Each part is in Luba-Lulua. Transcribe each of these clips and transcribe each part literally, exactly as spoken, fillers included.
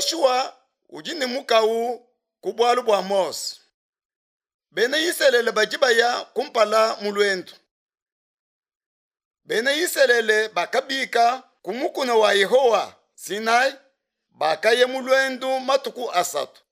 Yoshua udi ne mukawu ku bualu bua Mose. Bena Isalele badi baya kumpala mu luendu. Bena Isalele bakabika ku mukuna wa Yehowa Sinai, bakaya mu luendu matuku asatu.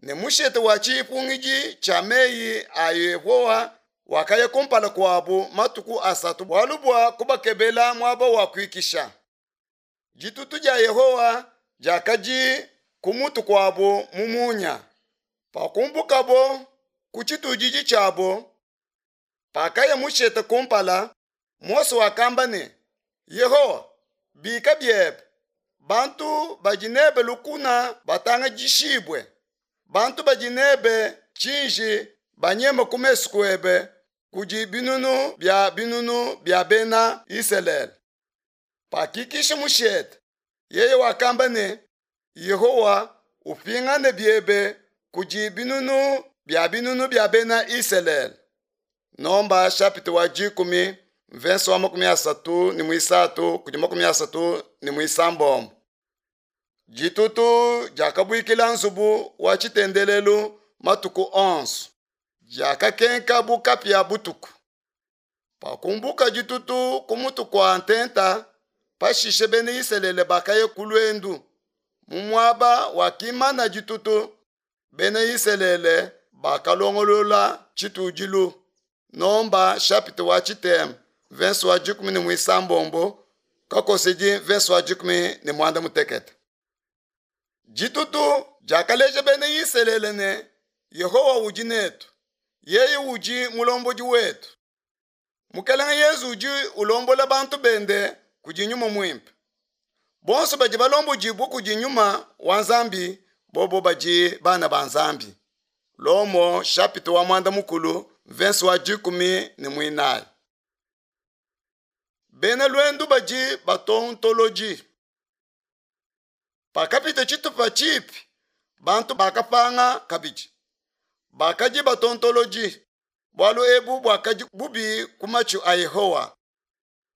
Ne mushete wa tshipungidi tshia meyi a Yehowa wakaya kumpala kuabu matuku asatu bualu bua kubakebela muaba wa kuikisha. Ditutu dia Yehowa diakadi ku mutu kuabu mu munya. Pakumbukabo ku tshitudiji tshiabo, pakaya mushete kumpala, Mose wakamba ne, Yehowa, bika biebe, bantu badi nebe lukuna batangadishibue, bantu badi nebe tshiji banyeme ku mesu kuebe kudi binunu bia binunu bia bena Isalele. Pakikisha mushete, yeye wakamba ne, Yehowa, upingane biebe kudi binunu bia binunu bia bena Isalele. Nomba chapitre wa dikumi verse wa makumi asatu ne muisatu kudi makumi asatu ne muisambombo. Ditutu diakabuikila nzubu wa tshitendelelu matuku onso, diakakenka bu kapia butuku. Pakumbuka ditutu ku mutu kua ntenta, pashishe bena Isalele bakaya ku luendu. Mu muaba wakimana ditutu, bena Isalele bakalongolola tshitudilu. Nomba chapitre wa tshitema verse wa dikumi ne muisambombo kakosedi verse wa dikumi ne muanda mutekete. Ditutu diakaleja bena Isalele ne Yehowa udi netu, yeye udi mulombodi wetu. Mukelenge Yezu udi ulombola bantu bende kudi Nyuma Muimpe. Bonso badi balombodibue kudi Nyuma wa Nzambi, bobo badi bana ba Nzambi. Lomo chapitre wa muanda mukulu verse wa dikumi ne muinayi. Bena luendu badi batontoloji. Pakapita tshitupa tshipi, bantu bakapanga kabidi. Bakadi batontoloji, bualu ebu buakadi bubi ku matshu a Yehowa.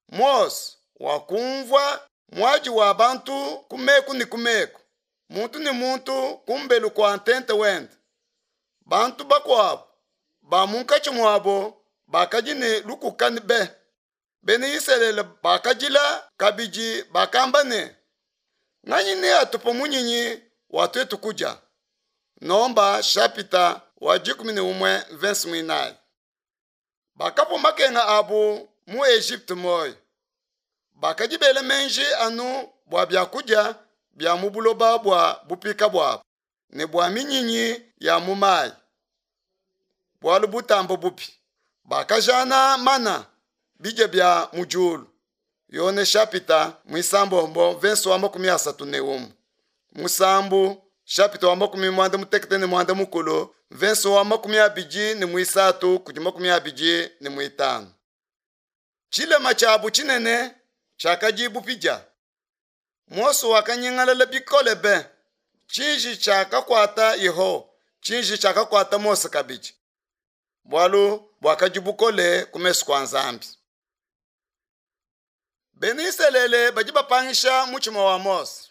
Mose wakumvua muadi wa bantu ku meku ne ku meku, muntu ne muntu kumbelu kua ntente wende. Bantu bakuabu ba munkatshi muabo bakadi ne lukuka be. Bena Isalele bakadila kabidi bakamba ne, nganyi neatupe munyinyi wa tuetu kudia? Nomba chapitre wa dikumi ne umue verse muinayi. Bakapua makenga abu mu Egypte moyo. Bakadi bela menji anu bua biakudia bia mu buloba bua bupika buabu ne bua minyinyi ya mu mayi. Bualu butamba bubi. Bakajana mana bidia bia mu diulu. Yone chapitre muisambombo verse wa makumi asatu ne umue. Musambu chapitre wa makumi muanda mutekete ne muanda mukulu verse wa makumi abidi ne muisatu kudi makumi abidi ne muitanu. Tshilema tshiabu tshinene tshiakadi bupidia. Mose wakanyingalala bikole be. Tshiji tshiakakuata Yehowa, tshiji tshiakakuata Mose kabidi. Bualu buakadi bukole ku mesu kua Nzambi. Bena Isalele badi bapangisha mutshima wa Mose.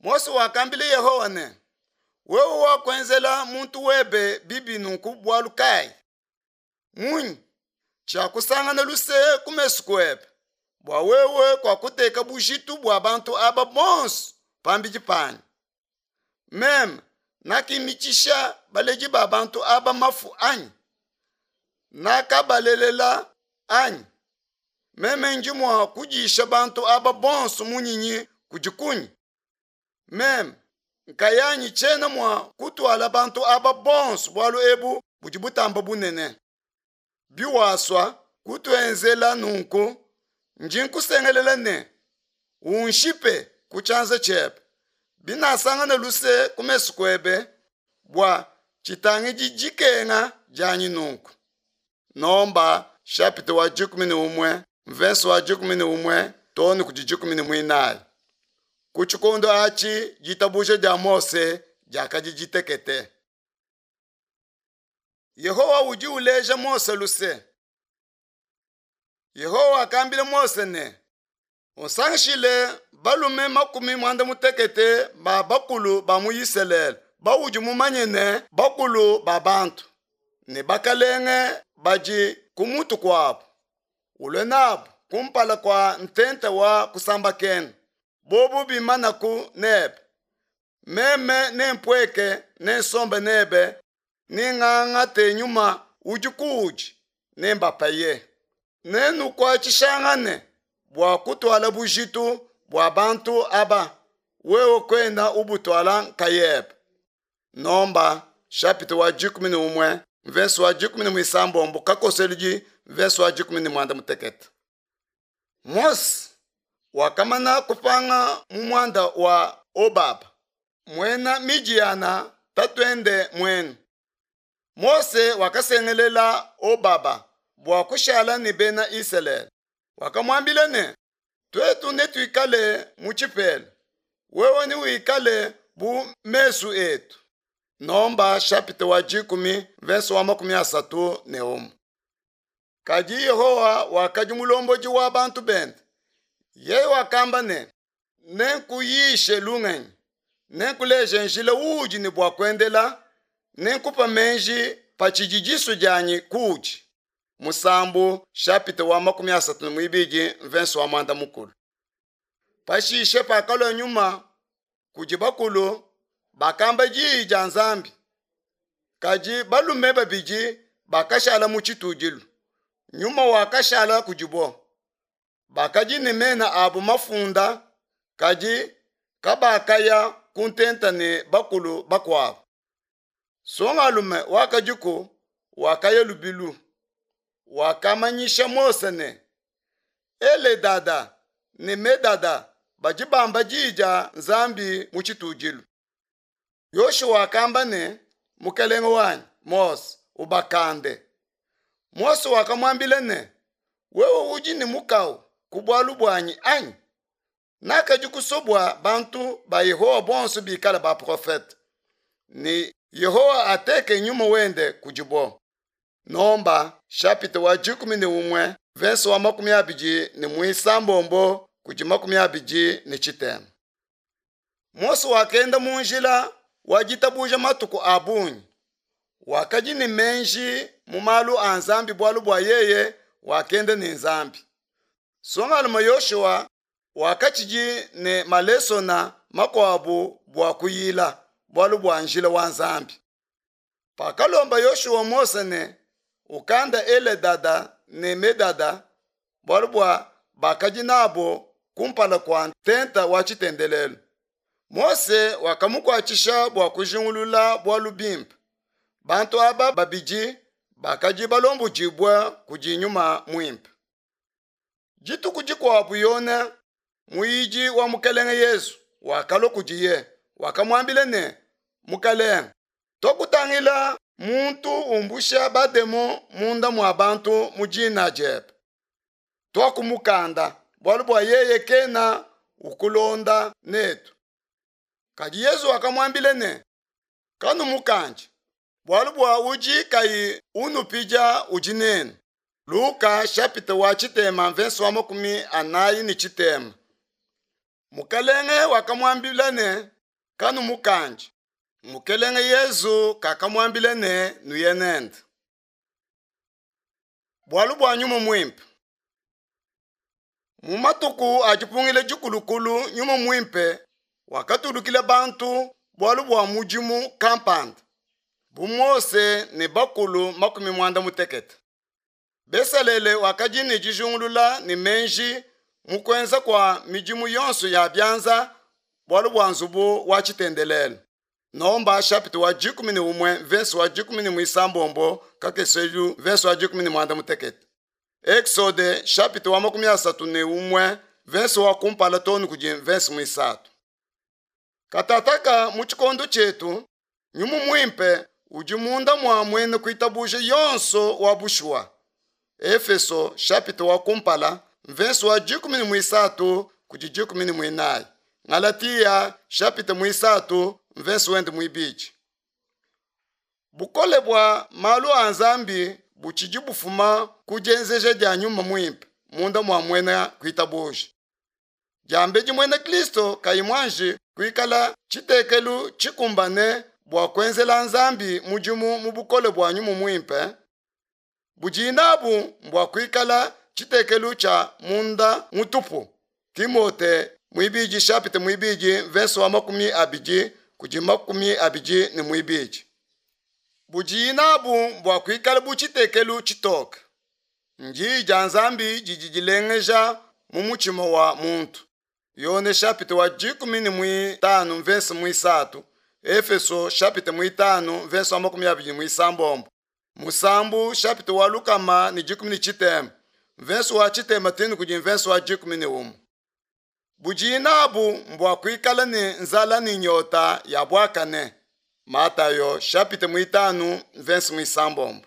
Mose wakambila Yehowa ne, wewe wakuenzela muntu webe bibi nunku bualu kayi? Munyi tshiakusangana luse ku mesu kuebe, bua wewe kuakuteka bujitu bua bantu aba bonso pambidi panyi? Meme nakimitshisha baledi ba bantu aba mafu anyi? Nakabalelela anyi? Meme ndi mua kudisha bantu aba bonso munyinyi kudi kunyi? Meme nkayanyi tshiena mua kutuala bantu aba bonso, bualu ebu budi butamba bunene. Biwasua kutuenzela nunku, ndi nkusengelela ne unshipe ku tshianza tshiebe, binasangana luse ku mesu kuebe, bua tshitangidi dikenga dianyi nunku. Nomba chapitre wa dikumi ne umue verse wa dikumi ne umue too ne kudi dikumi ne muinayi. Ku tshikondo atshi ditabuja dia Mose diakadi ditekete. Yehowa udi uleja Mose luse. Yehowa wakambila Mose ne, Usangishile balume makumi muanda mutekete ba bakulu ba mu Isalele baudi mumanye ne bakulu ba bantu ne bakalenge badi ku mutu kuabu, ulue nabu kumpala kua ntenta wa kusambakena, bobu bimanaku nebe. Meme nempueke, nensombe nebe, nengangate nyuma udi kuudi, nembapaye. Nenukuatshishangane bua kutuala bujitu bua bantu aba, wewe kuena ubutuala nkayebe. Nomba chapitre wa dikumi ne umue mvese wa dikumi ne muisambombo kakoseludi mvese wa dikumi ne muanda mutekete. Mose wakamana kupanga mu muanda wa Obaba muena Midiyana tatuende muenu. Mose wakasengelela Obaba bua kushala ne bena Isalele. Wakamuambila ne, tuetu netuikale mu tshipela, wewe newikale bu mesu etu. Nomba chapitre wa dikumi mvese wa makumi asatu ne umue. Kadi Yehowa wakadi mulombodi wa bantu bende. Yeye wakamba ne, nenkuyishe lungenyi, nenkuleje njila uudi ne bua kuendela, nenkupa meji pa tshidi disu dianyi kuudi. Musambu chapitre wa makumi asatu ne muibidi mvese wa muanda mukulu. Pashishe pakalua nyuma kudi bakulu bakamba diyi dia Nzambi. Kadi balume babidi bakashala mu tshitudilu. Nyuma wakashala kudibo. Bakadi ne mena abu mafunda, kadi kabakaya ku ntenta ne bakulu bakuabu. Songalume wakadiku wakaya lubilu, wakamanyisha Mose ne, Eledada ne Medada badi bamba diyi dia Nzambi mu tshitudilu. Yoshua wakamba ne, Mukelenge wanyi Mose, ubakande. Mose wakamuambila ne, wewe udi ne mukawu ku bualu buanyi anyi? Nakadi kusobua bantu ba Yehowa bonso bikale baprofete, ne Yehowa ateke nyuma wende kudibo. Nomba chapitre wa dikumi ne umue verse wa makumi abidi ne muisambombo kudi makumi abidi ne tshitema. Mose wakenda mu njila wa ditabuja matuku a bungi. Wakadi ne menji mu malu a Nzambi bualu bua yeye wakenda ne Nzambi. Songalume Yoshua wakatshidi ne malesona makuabu bua kuyila bualu bua njila wa Nzambi. Pakalomba Yoshua Mose ne ukanda Eledada ne Medada bualu bua bakadi nabo kumpala kua ntenta wa tshitendelelu. Mose wakamukuatshisha bua kujingulula bualu bimpe. Bantu aba babidi bakadi balombodibua kudi nyuma muimpe. Dituku dikuabu Yone muyidi wa Mukelenge Yesu wakalua kudiye, wakamuambila ne, Mukelenge, twakutangila muntu umbusha bademo munda mua bantu mu dina diebe. Twakumukanda bualu bua yeye kena ukulonda netu. Kadi Yesu wakamuambila ne, kanumukandi, bualu bua udi kayi unupidia udi nenu. Luka chapitre wa tshitema verse wa makumi anayi ne tshitema. Mukelenge wakamuambila ne, kanumukandi. Mukelenge Yesu kakamuambila ne, nuye nende. Bualu bua nyuma muimpe. Mu matuku a dipungila dikulukulu nyuma muimpe wakatulukila bantu bualu bua mudimu kampanda, bu Mose ne bakulu makumi muanda mutekete. Besalele wakadi ne dijungulula ne menji mu kuenza kua midimu yonso ya bianza bualu bua nzubu wa tshitendelelu. Nomba chapitre wa dikumi ne umue verse wa dikumi ne muisambombo kakeselu verse wa dikumi ne muanda mutekete. Exode chapitre wa makumi asatu ne umue verse wa kumpala tonu kudi verse muisatu. Katataka mu tshikondo tshietu nyuma muimpe udi munda mua muena kuitabuja yonso wa bushuwa. Efeso chapitre wa kumpala verse wa dikumi ne muisatu kudi dikumi ne muinayi. Galatia chapitre muisatu verse wende muibidi. Bukole bua malu a Nzambi butshidi bufuma ku dienzeja dia nyuma muimpe munda mua muena kuitabuja. Diambedi muena Kristo kayi muanji kuikala tshitekelu tshikumbane bua kuenzela Nzambi mudimu mu bukole bua Nyuma Muimpe, budi nabu mbua kuikala tshitekelu tshia munda mutupu. Timote muibidi chapitre muibidi verse wa makumi abidi kudi makumi abidi ne muibidi. Budi nabu mbua kuikala bu tshitekelu tshitoke. Ndiyi dia Nzambi didi dilengeja mu mutshima wa muntu. Yone chapitre wa dikumi ne muitanu verse muisatu, Efeso chapitre muitanu verse wa makumi abidi ne muisambombo. Musambu chapitre wa lukama ne dikumi ne tshitema, verse wa tshitema tenu kudi verse wa dikumi ne umue. Budi nabu mbua kuikala ne nzala ne nyota ya buakane. Matayo chapitre muitanu verse muisambombo.